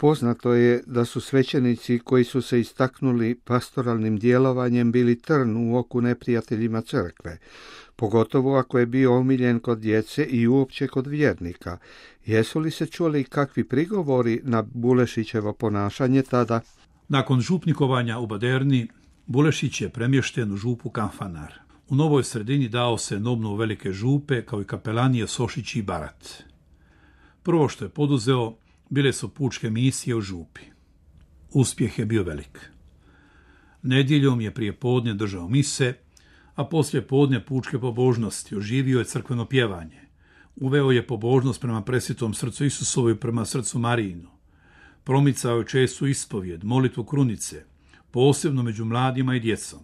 Poznato je da su svećenici koji su se istaknuli pastoralnim djelovanjem bili trn u oku neprijateljima crkve, pogotovo ako je bio omiljen kod djece i uopće kod vjernika. Jesu li se čuli kakvi prigovori na Bulešićevo ponašanje tada? Nakon župnikovanja u Baderni, Bulešić je premješten u župu Kanfanar. U novoj sredini dao se na obnovu velike župe, kao i kapelanije Sošić i Barat. Prvo što je poduzeo bile su pučke misije u župi. Uspjeh je bio velik. Nedjeljom je prije podne držao mise, a poslije podne pučke pobožnosti, oživio je crkveno pjevanje. Uveo je pobožnost prema presvetom srcu Isusovu i prema srcu Marijinu. Promicao je čestu ispovjed, molitvu krunice, posebno među mladima i djecom.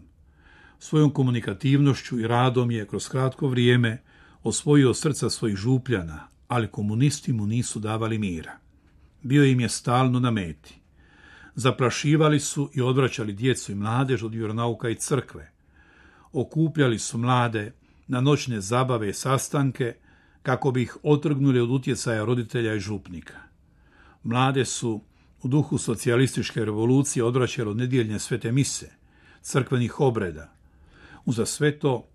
Svojom komunikativnošću i radom je kroz kratko vrijeme osvojio srca svojih župljana, ali komunisti mu nisu davali mira. Bio im je stalno na meti. Zaprašivali su i odvraćali djecu i mladež od vjeronauka i crkve. Okupljali su mlade na noćne zabave i sastanke kako bi ih otrgnuli od utjecaja roditelja i župnika. Mlade su u duhu socijalističke revolucije odvraćali od nedjeljne svete mise, crkvenih obreda. Uza sve to,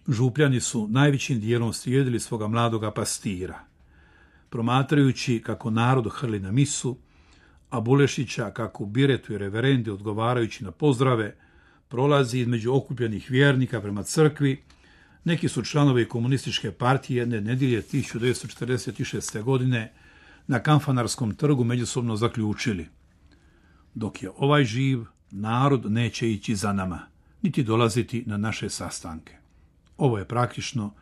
župljani su najvećim dijelom slijedili svoga mladoga pastira. Promatrajući kako narod hrli na misu, a Bulešića kako u biretu i reverendi odgovarajući na pozdrave, prolazi između okupljenih vjernika prema crkvi, neki su članovi komunističke partije jedne nedjelje 1946. godine na Kanfanarskom trgu međusobno zaključili: dok je ovaj živ, narod neće ići za nama, niti dolaziti na naše sastanke. Ovo je praktično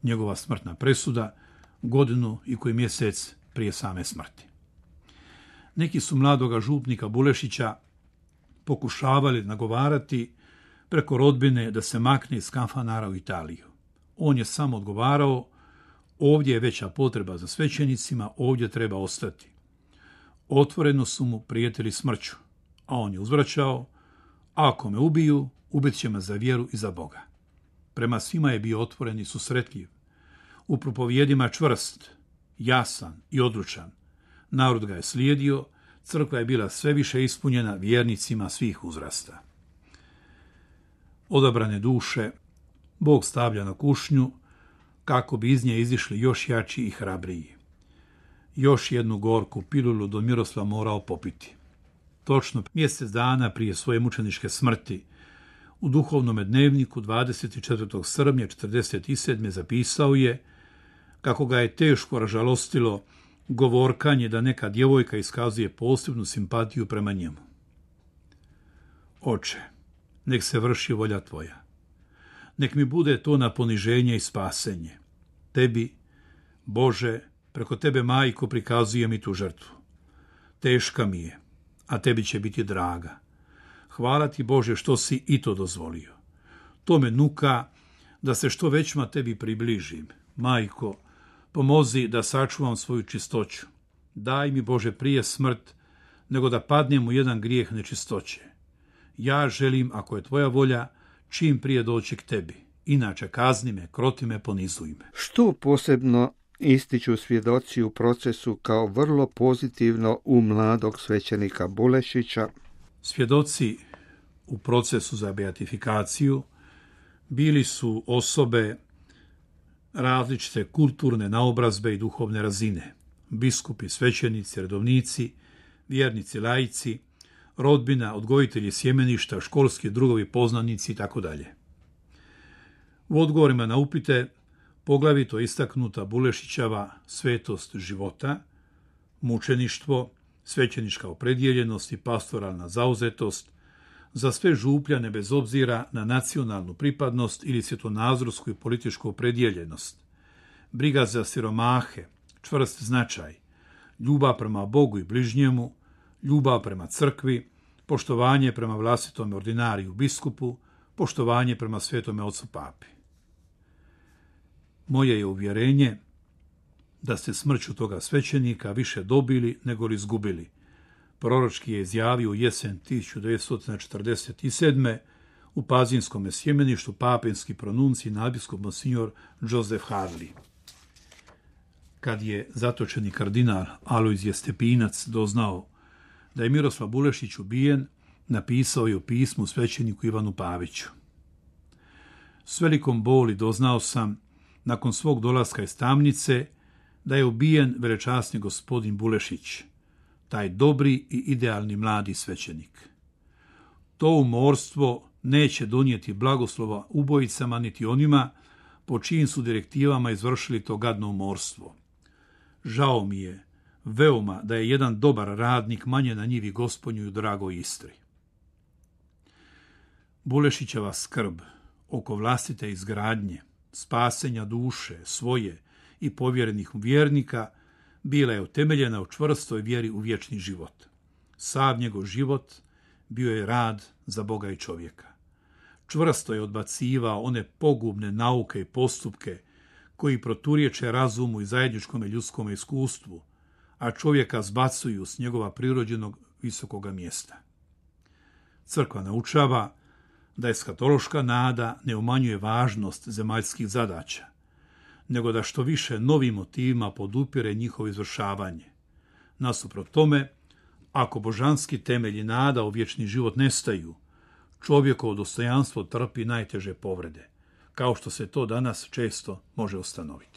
njegova smrtna presuda, godinu i koji mjesec prije same smrti. Neki su mladoga župnika Bulešića pokušavali nagovarati preko rodbine da se makne iz Kanfanara u Italiju. On je samo odgovarao: ovdje je veća potreba za svećenicima, ovdje treba ostati. Otvoreno su mu prijetili smrću, a on je uzvraćao: ako me ubiju, ubit će me za vjeru i za Boga. Prema svima je bio otvoren i susretljiv. U propovjedima čvrst, jasan i odlučan. Narod ga je slijedio, crkva je bila sve više ispunjena vjernicima svih uzrasta. Odabrane duše Bog stavlja na kušnju kako bi iz nje izišli još jači i hrabriji. Još jednu gorku pilulu don Miroslav morao popiti. Točno mjesec dana prije svoje mučeničke smrti, u duhovnom dnevniku 24. srpnja 1947. zapisao je kako ga je teško ražalostilo govorkanje da neka djevojka iskazuje posebnu simpatiju prema njemu. Oče, nek se vrši volja tvoja. Nek mi bude to na poniženje i spasenje. Tebi, Bože, preko tebe, majko, prikazujem i tu žrtvu. Teška mi je, a tebi će biti draga. Hvala ti, Bože, što si i to dozvolio. To me nuka da se što većma tebi približim. Majko, pomozi da sačuvam svoju čistoću. Daj mi, Bože, prije smrt, nego da padnem u jedan grijeh nečistoće. Ja želim, ako je tvoja volja, čim prije doći k tebi. Inače kazni me, kroti me, ponizuj me. Što posebno ističu svjedoci u procesu kao vrlo pozitivno u mladog svećenika Bulešića? Svjedoci u procesu za beatifikaciju bili su osobe različite kulturne naobrazbe i duhovne razine. Biskupi, svećenici, redovnici, vjernici, laici, rodbina, odgojitelji sjemeništa, školski drugovi, poznanici itd. U odgovorima na upite poglavito istaknuta Bulešićeva svetost života, mučeništvo, svećenička opredjeljenost i pastoralna zauzetost za sve župljane bez obzira na nacionalnu pripadnost ili svjetonazorsku i političku opredjeljenost, briga za siromahe, čvrst značaj, ljubav prema Bogu i bližnjemu, ljubav prema crkvi, poštovanje prema vlastitom ordinariju biskupu, poštovanje prema svetome ocu papi. Moje je uvjerenje da ste smrću toga svećenika više dobili nego li izgubili. Proročki je izjavio u jesen 1947. u Pazinskom sjemeništu papinski pronunci nadbiskup monsignor Joseph Harley. Kad je zatočeni kardinal Alojzije Stepinac doznao da je Miroslav Bulešić ubijen, napisao je u pismu svećeniku Ivanu Paviću. S velikom boli doznao sam, nakon svog dolaska iz tamnice, da je ubijen velečasni gospodin Bulešić, taj dobri i idealni mladi svećenik. To umorstvo neće donijeti blagoslova ubojicama niti onima po čijim su direktivama izvršili to gadno umorstvo. Žao mi je veoma da je jedan dobar radnik manje na njivi Gospodnju i u dragoj Istri. Bulešićeva skrb oko vlastite izgradnje, spasenja duše, svoje i povjerenih vjernika bila je utemeljena u čvrstoj vjeri u vječni život. Sav njegov život bio je rad za Boga i čovjeka. Čvrsto je odbacivao one pogubne nauke i postupke koji proturječe razumu i zajedničkom ljudskom iskustvu, a čovjeka zbacuju s njegova prirođenog visokoga mjesta. Crkva naučava da eskatološka nada ne umanjuje važnost zemaljskih zadaća, nego da što više novim motivima podupire njihovo izvršavanje. Nasuprot tome, ako božanski temelji nada u vječni život nestaju, čovjekovo dostojanstvo trpi najteže povrede, kao što se to danas često može ustanoviti.